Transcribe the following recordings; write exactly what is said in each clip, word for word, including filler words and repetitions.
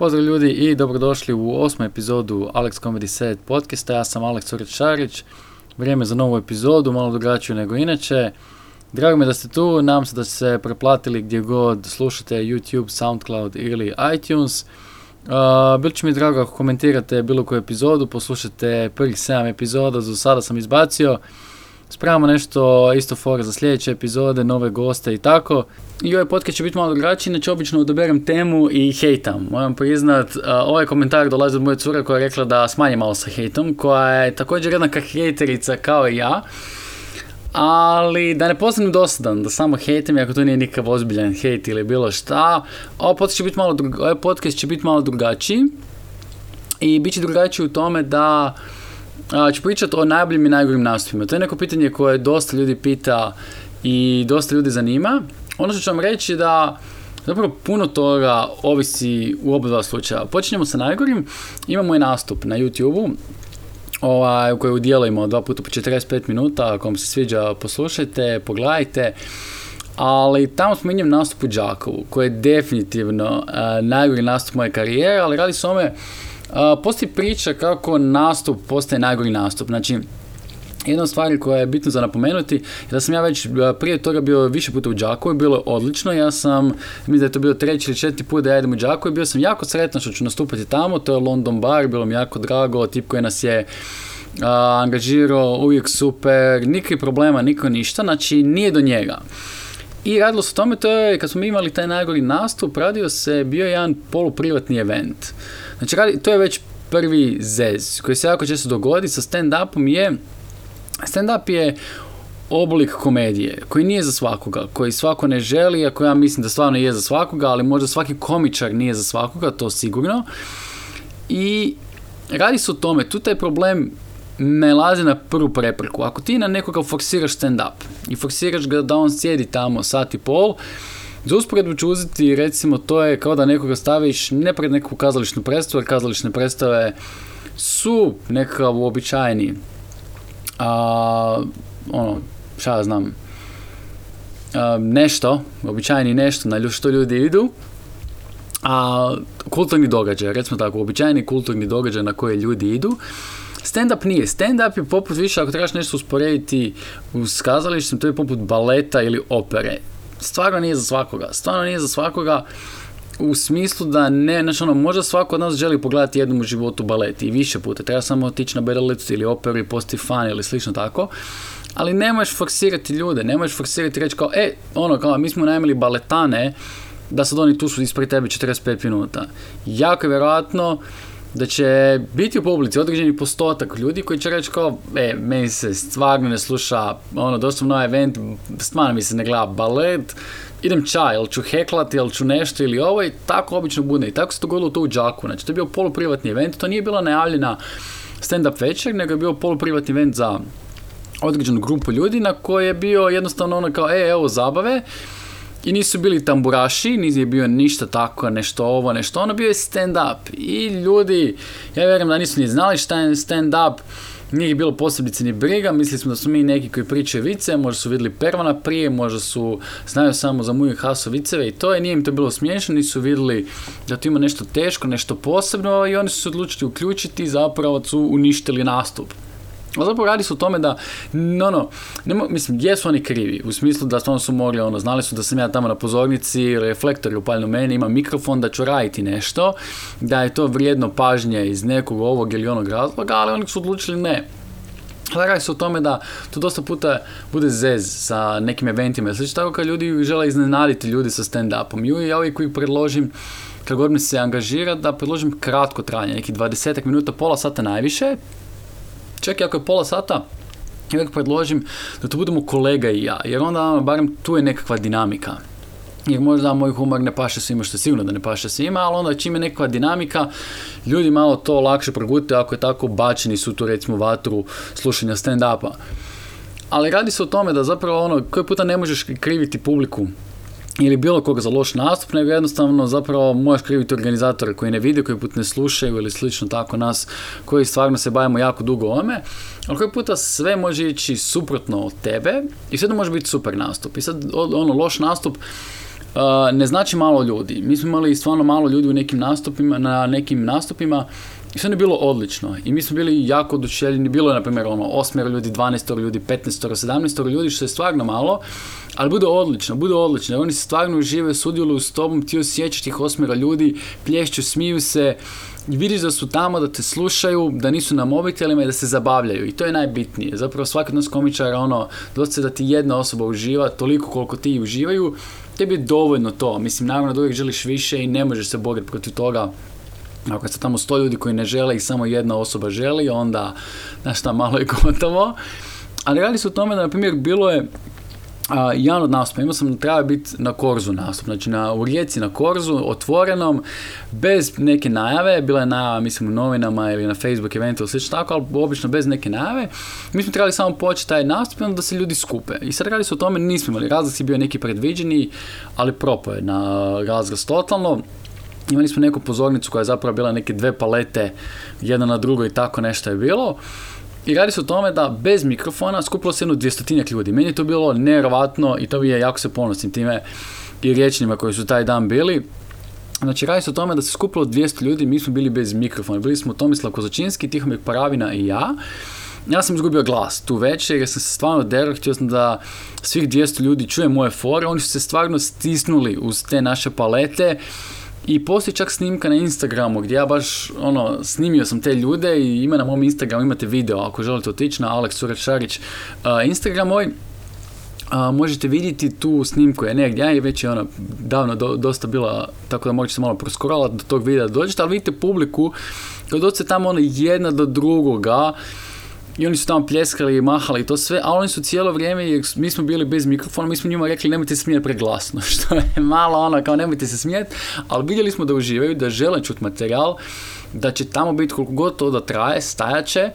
Pozdrav ljudi i dobrodošli u osmu epizodu Alex Comedy Set podcasta. Ja sam Alex Urečarić. Vrijeme za novu epizodu, malo drugačiju nego inače. Drago mi da ste tu, nadam se da ste se preplatili gdje god slušate YouTube, SoundCloud ili iTunes. Uh, bilo će mi drago ako komentirate bilo koju epizodu, poslušajte prvih sedam epizoda, za sada sam izbacio. Spremamo nešto isto fora za sljedeće epizode, nove goste i tako. I ovaj podcast će biti malo drugačiji, inače obično odaberem temu i hejtam. Moram priznat, uh, ovaj komentar dolazi od moje cure koja je rekla da smanji malo sa hejtom, koja je također jednaka hejterica kao i ja. Ali da ne postanem dosadan, da samo hejtem, ako to nije nikakav ozbiljan hejt ili bilo šta. Ovaj podcast će biti malo, drug, ovaj podcast će biti malo drugačiji. I bit će drugačiji u tome da a, ću pričati o najboljim i najgorim nastupima. To je neko pitanje koje dosta ljudi pita i dosta ljudi zanima. Ono što ću vam reći da zapravo puno toga ovisi u oba dva slučaja. Počinjemo sa najgorim. Imamo moj nastup na YouTube-u. Ovaj, u kojoj udjelujemo dva puta po četrdeset pet minuta, ako vam se sviđa poslušajte, pogledajte, ali tamo spominjem nastup u Đakovu, koji je definitivno uh, najgori nastup moje karijere, ali radi se o ome, uh, postoji priča kako nastup postaje najgori nastup. Znači, jedna od stvari koja je bitno za napomenuti je da sam ja već prije toga bio više puta u Đakovu, bilo je odlično, ja sam, mislim da je to bilo treći ili četiri put da ja idem u Đakovu i bio sam jako sretan što ću nastupati tamo, to je London Bar, bilo mi jako drago, tip koji nas je uh, angažirao, uvijek super, nikakvih problema, niko ništa, znači nije do njega. I radilo se o tome, to je, kad smo imali taj najgori nastup, radio se, bio je jedan poluprivatni event. Znači, radi, to je već prvi zez koji se jako često dogodi sa stand-upom je stand-up je oblik komedije koji nije za svakoga, koji svako ne želi, ako ja mislim da stvarno je za svakoga, ali možda svaki komičar nije za svakoga, to sigurno. I radi se o tome, tu taj problem nailazi na prvu prepreku. Ako ti na nekoga forsiraš stand-up i forsiraš ga da on sjedi tamo sat i pol, za usporedbu ću uzeti, recimo, to je kao da nekoga staviš ne pred neku kazališnu predstavu, jer kazališne predstave su nekakav uobičajeni A, ono, šta ja znam, a, nešto, običajni nešto na što ljudi idu, a kulturni događaj, recimo tako, običajni kulturni događaj na koje ljudi idu. Stand-up nije. Stand-up je poput više, ako trebaš nešto usporediti s kazalištem, to je poput baleta ili opere. Stvarno nije za svakoga. Stvarno nije za svakoga u smislu da ne, znači ono, možda svako od nas želi pogledati jednom u životu balet i više puta, treba samo otići na bedalicu ili operu i postati fan ili slično tako, ali ne možeš forsirati ljude, ne možeš forsirati reći kao, e, ono, kao, mi smo najmili baletane, da sad oni tu su ispred tebe četrdeset pet minuta. Jako je vjerojatno da će biti u publici određeni postotak ljudi koji će reći kao, e, meni se stvarno ne sluša, ono, doslovno na event, stvarno mi se ne gleda balet, idem čaj, jel ću heklati, jel ću nešto ili ovo, i tako obično bude. I tako se dogodilo to u Đakovu. Znači, to je bio poluprivatni event, to nije bila najavljena stand-up večer, nego je bio poluprivatni event za određenu grupu ljudi na koje je bio jednostavno ono kao, e, evo zabave, i nisu bili tamburaši, nije bio ništa tako, nešto ovo, nešto ono, bio je stand-up. I ljudi, ja vjerujem da nisu ni znali šta je stand-up, nije ih bilo posebice ni briga, mislili smo da su mi neki koji pričaju vice, možda su vidjeli Pervana prije, možda su znaju samo za Muju Haso viceve i to je, nije im to bilo smiješno, nisu vidjeli da to ima nešto teško, nešto posebno i oni su se odlučili uključiti i zapravo su uništili nastup. A zapravo radi se o tome da, no, no, ne mo, mislim, jesu oni krivi, u smislu da stvarno su mogli, ono, znali su da sam ja tamo na pozornici, reflektor je upaljeno meni, imam mikrofon, da ću raditi nešto, da je to vrijedno pažnje iz nekog ovog ili onog razloga, ali oni su odlučili ne. Ali radi se o tome da to dosta puta bude zez sa nekim eventima, slično tako kad ljudi žele iznenaditi ljudi sa stand-upom. I ja uvijek uvijek predložim, kad god mi se angažira, da predložim kratko trajanje, nekih dvadeset minuta, pola sata najviše. Čak i ako je pola sata, ja uvijek predložim da to budemo kolega i ja, jer onda barem tu je nekakva dinamika. Jer možda moj humor ne paše svima, što je sigurno da ne paše svima, ali onda čim je nekakva dinamika, ljudi malo to lakše progutaju ako je tako bačeni su tu recimo vatru slušanja stand-upa. Ali radi se o tome da zapravo ono, koji puta ne možeš kriviti publiku ili bilo koga za loš nastup, nego jednostavno zapravo možeš kriviti organizatore koji ne vide, koji put ne slušaju ili slično tako nas, koji stvarno se bavimo jako dugo ome, ali koji puta sve može ići suprotno od tebe i sve to može biti super nastup. I sad ono, loš nastup ne znači malo ljudi. Mi smo imali stvarno malo ljudi u nekim nastupima, na nekim nastupima i sve je bilo odlično. I mi smo bili jako oduševljeni. Bilo je, na primjer, ono, osmero ljudi, dvanaestoro ljudi, petnaestoro, sedamnaestoro ljudi, što je stvarno malo, ali bude odlično, bude odlično. Oni se stvarno uživaju, sudjeluju s tobom, ti osjećaš tih osmero ljudi, plješću, smiju se, i vidiš da su tamo, da te slušaju, da nisu na mobitelima i da se zabavljaju. I to je najbitnije. Zapravo svaki od nas komičara, ono, dosta da ti jedna osoba uživa, toliko koliko ti uživaju, tebi je dovoljno to. Mislim, naravno da uvijek želiš više i ne možeš se boriti protiv toga. Ako ste tamo sto ljudi koji ne žele i samo jedna osoba želi, onda, znaš šta, malo je gotovo. Ali radi se o tome da, na primjer, bilo je a, jedan od nastupa, imao sam, treba biti na Korzu nastup, znači na, u Rijeci na Korzu, otvorenom, bez neke najave, bila je najava, mislim, u novinama ili na Facebook eventu ili slično tako, ali obično bez neke najave. Mi smo trebali samo početi taj nastup i onda da se ljudi skupe. I sad radi se o tome, nismo imali, razlaz je bio neki predviđeni, ali propao je na razraz totalno. Imali smo neku pozornicu koja je zapravo bila neke dve palete, jedna na drugoj i tako nešto je bilo. I radi se o tome da bez mikrofona skupilo se jedno dvjestotinjak ljudi. Meni je to bilo nevjerovatno i to bi je, jako se ponosim time i riječnima koji su taj dan bili. Znači, radi se o tome da se skupilo dvjesto ljudi, mi smo bili bez mikrofona. Bili smo Tomislav Kozačinski, Tihomir Paravina i ja. Ja sam izgubio glas tu večer jer sam se stvarno derao, htio sam da svih dvjesto ljudi čuje moje fore. Oni su se stvarno stisnuli uz te naše palete. I postoji čak snimka na Instagramu gdje ja baš, ono, snimio sam te ljude i ima na mom Instagramu, imate video ako želite otići na Aleks Suret Šarić uh, Instagram moj, uh, možete vidjeti tu snimku je negdje, je već je ona davno do, dosta bila, tako da možete se malo proskrolati do tog videa da dođete, ali vidite publiku, kad dođete tamo ono jedna do drugoga, i oni su tamo pljeskali i mahali i to sve, a oni su cijelo vrijeme, jer mi smo bili bez mikrofona, mi smo njima rekli nemojte se smijeti preglasno, što je malo ono kao nemojte se smijeti, ali vidjeli smo da uživaju, da žele čuti materijal, da će tamo biti koliko god to da traje, stajaće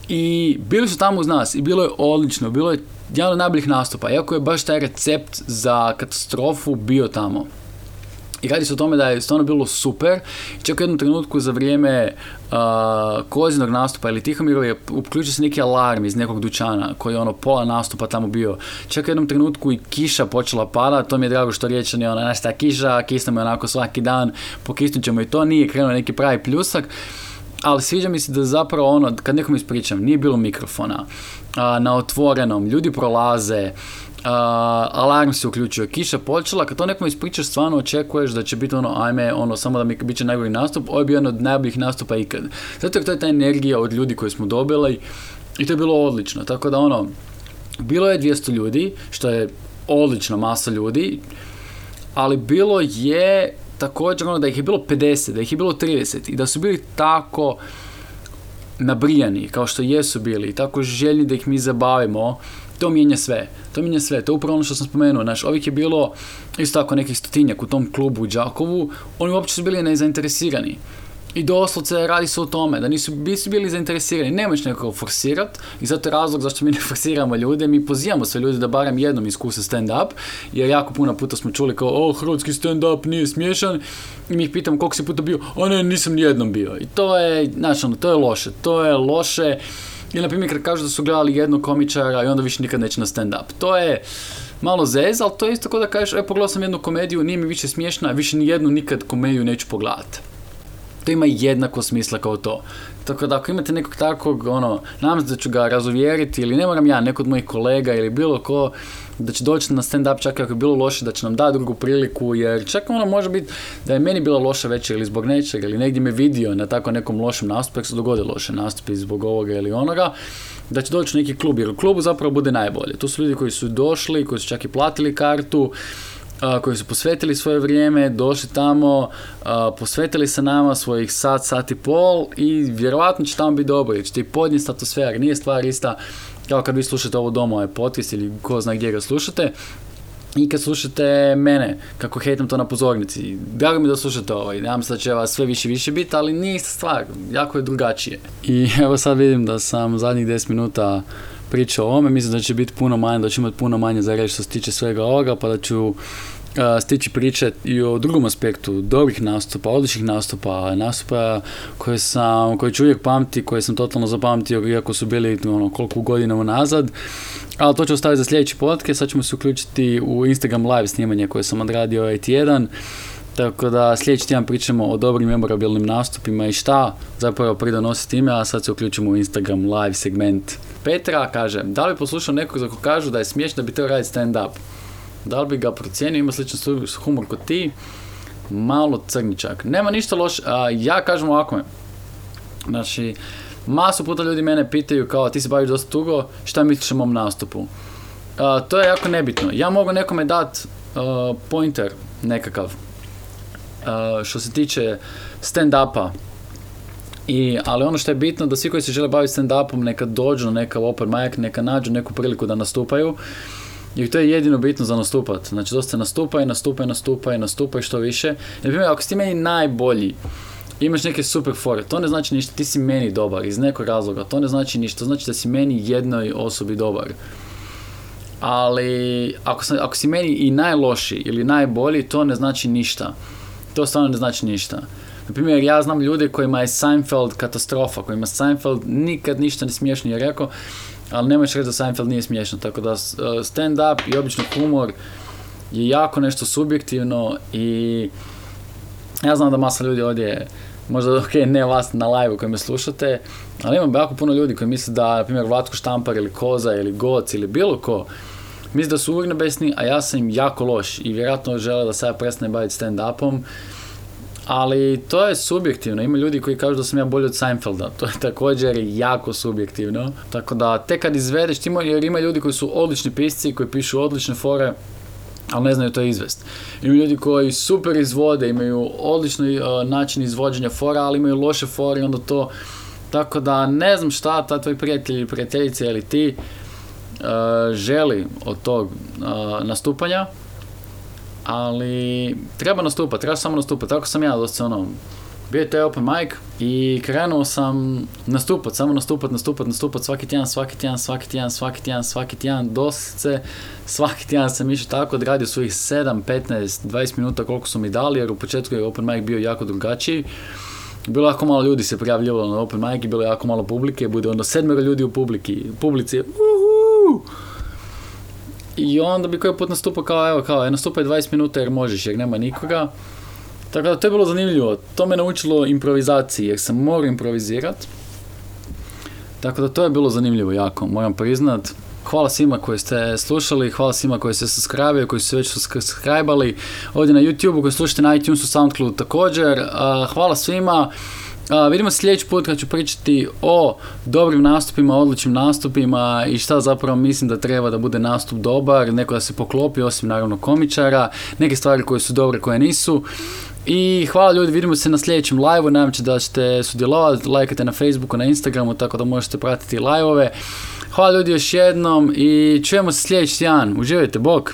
i bili su tamo uz nas i bilo je odlično, bilo je jedan od najboljih nastupa, iako je baš taj recept za katastrofu bio tamo. I radi se o tome da je stvarno bilo super. Čak u jednom trenutku za vrijeme uh, Kozinog nastupa ili Tihomirov je uključio se neki alarm iz nekog dućana koji je ono pola nastupa tamo bio. Čak u jednom trenutku i kiša počela pada, to mi je drago što Riječani ona naš ta kiša, kisnemo je onako svaki dan, pokisnut ćemo i to, nije krenuo neki pravi pljusak. Ali sviđa mi se da zapravo ono, kad nekom ispričam, nije bilo mikrofona, uh, na otvorenom, ljudi prolaze, Uh, alarm se uključio, kiša počela, kad to nekom ispričaš, stvarno očekuješ da će biti ono, ajme, ono, samo da mi bit će najbolji nastup, ovo je bio jedan od najboljih nastupa ikad. Zato jer to je ta energija od ljudi koje smo dobili i to je bilo odlično, tako da ono, bilo je dvjesto ljudi, što je odlična masa ljudi, ali bilo je također ono da ih je bilo pedeset, da ih je bilo trideset i da su bili tako nabrijani, kao što jesu bili, tako željni da ih mi zabavimo. To mijenja sve, to mijenja sve, to je upravo ono što sam spomenuo, znaš, ovih je bilo isto tako nekih stotinjak u tom klubu u Đakovu, oni uopće su bili nezainteresirani. I doslovce radi se o tome, da nisu, nisu bili zainteresirani, nemoć nekako forsirati i zato je razlog zašto mi ne forsiramo ljude, mi pozivamo sve ljude da barem jednom iskuse stand-up, jer jako puno puta smo čuli kao, o, hrvatski stand-up nije smiješan, i mi ih pitamo koliko si puta bio, a ne, nisam nijednom bio. I to je, znaš, ono, to je loše, to je loše. Ili, na primjer, kad kažu da su gledali jednog komičara i onda više nikad neće na stand-up. To je malo zez, ali to je isto kao da kažeš, e, pogledao sam jednu komediju, nije mi više smiješna, više ni jednu nikad komediju neću pogledati. To ima jednako smisla kao to. Tako da ako imate nekog takvog, ono, nadam se da ću ga razuvjeriti, ili ne moram ja, neko od mojih kolega ili bilo ko, da će doći na stand-up čak ako je bilo loše, da će nam dati drugu priliku, jer čak ono može biti da je meni bila loša večer ili zbog nečega, ili negdje me vidio na tako nekom lošem nastupu, ako se dogode loše nastupi zbog ovoga ili onoga, da će doći u neki klub, jer u klubu zapravo bude najbolje. Tu su ljudi koji su došli, koji su čak i platili kartu, Uh, koji su posvetili svoje vrijeme, došli tamo, uh, posvetili se nama svojih sat, sat i pol i vjerovatno će tamo biti dobro, jer ćete i podnijeti atmosfera, nije stvar ista kao kad vi slušate ovo doma, ovaj podcast ili ko zna gdje ga slušate i kad slušate mene, kako hejtam to na pozornici. Drago mi da slušate ovaj, nadam se da će vas sve više i više biti, ali nije ista stvar, jako je drugačije. I evo sad vidim da sam zadnjih deset minuta pričao o ovome, mislim da će biti puno manje, da ću imati puno manje za reći što se tiče svega ovoga, pa da ću stići priče i o drugom aspektu, dobrih nastupa, odličnih nastupa, nastupa koje sam, koje ću uvijek pamti, koje sam totalno zapamtio, iako su bili ono, koliko godina unazad. Ali to ću ostaviti za sljedeći podcast, sad ćemo se uključiti u Instagram live snimanje koje sam odradio ovaj tjedan. Tako da sljedeći tjedan pričamo o dobrim memorabilnim nastupima i šta zapravo pridonosi time, a sad se uključimo u Instagram live segment. Petra kaže, da li poslušao nekog za ko kažu da je smiješno da bi teo raditi stand-up? Da li bi ga procijenio, ima sličan humor kod ti? Malo crničak. Nema ništa loše, a ja kažem ovako. Znači, masu puta ljudi mene pitaju kao ti se baviš dosta dugo, šta misliš o mom nastupu? Uh, to je jako nebitno. Ja mogu nekome dat uh, pointer nekakav. Uh, što se tiče stand-upa. I, ali ono što je bitno da svi koji se žele baviti stand-upom neka dođu na neka open mic, neka nađu neku priliku da nastupaju. I to je jedino bitno za nastupat. Znači dosta nastupaj, nastupaj, nastupaj, nastupaj što više. Na primjer, ako si ti meni najbolji, imaš neke super fore, to ne znači ništa, ti si meni dobar iz nekog razloga, to ne znači ništa, to znači da si meni jednoj osobi dobar. Ali ako, sam, ako si meni i najlošiji ili najbolji, to ne znači ništa. To stvarno ne znači ništa. Na primjer, ja znam ljude kojima je Seinfeld katastrofa, kojima Seinfeld nikad ništa ne smiješno je rekao, ali nemojš reći da Seinfeld nije smiješno, tako da stand-up i obično humor je jako nešto subjektivno i ja znam da masa ljudi ovdje, možda ok, ne vas na live koji me slušate, ali imam jako puno ljudi koji misle da, na primjer, Vlatko Štampar ili Koza ili Goc ili bilo ko, misle da su urnebesni, a ja sam im jako loš i vjerojatno žele da se ja prestane baviti stand-upom, ali to je subjektivno. Ima ljudi koji kažu da sam ja bolji od Seinfelda. To je također jako subjektivno. Tako da, tek kad izvedeš, ti jer ima ljudi koji su odlični pisci, koji pišu odlične fore, ali ne znaju to izvest. Ima ljudi koji super izvode, imaju odlični uh, način izvođenja fora, ali imaju loše fore i onda to... Tako da, ne znam šta ta tvoj prijatelj ili prijateljica ili ti uh, želi od tog uh, nastupanja, ali treba nastupati, treba samo nastupati, tako sam ja dosta ono, bio je taj open mic i krenuo sam nastupat, samo nastupat, nastupat, nastupat svaki tjedan, svaki tjedan, svaki tjedan, svaki tjedan, svaki tjedan, doslovce, svaki tjedan sam išao tako, odradio svojih sedam, petnaest, dvadeset minuta koliko su mi dali, jer u početku je open mic bio jako drugačiji. Bilo jako malo ljudi se prijavljivalo na open mic i bilo jako malo publike, bude onda sedmero ljudi u publiki, publici, uhu! I onda bi koji put nastupao kao, evo, kao, nastupaj dvadeset minuta jer možeš, jer nema nikoga. Tako da to je bilo zanimljivo. To me naučilo improvizaciji, jer sam morao improvizirati. Tako da to je bilo zanimljivo jako, moram priznat. Hvala svima koji ste slušali, hvala svima koji ste subscribe-ali, koji su se već subscribe-ali ovdje na YouTube-u, koji slušate na iTunesu, SoundCloudu također. Hvala svima. Uh, vidimo se sljedeći put kad ću pričati o dobrim nastupima, odličnim nastupima i šta zapravo mislim da treba da bude nastup dobar, neko da se poklopi, osim naravno komičara, neke stvari koje su dobre, koje nisu. I hvala ljudi, vidimo se na sljedećem live-u, nadam se da ćete sudjelovati, lajkate na Facebooku, na Instagramu, tako da možete pratiti live-ove. Hvala ljudi još jednom i čujemo se sljedeći tjedan, uživajte, bok!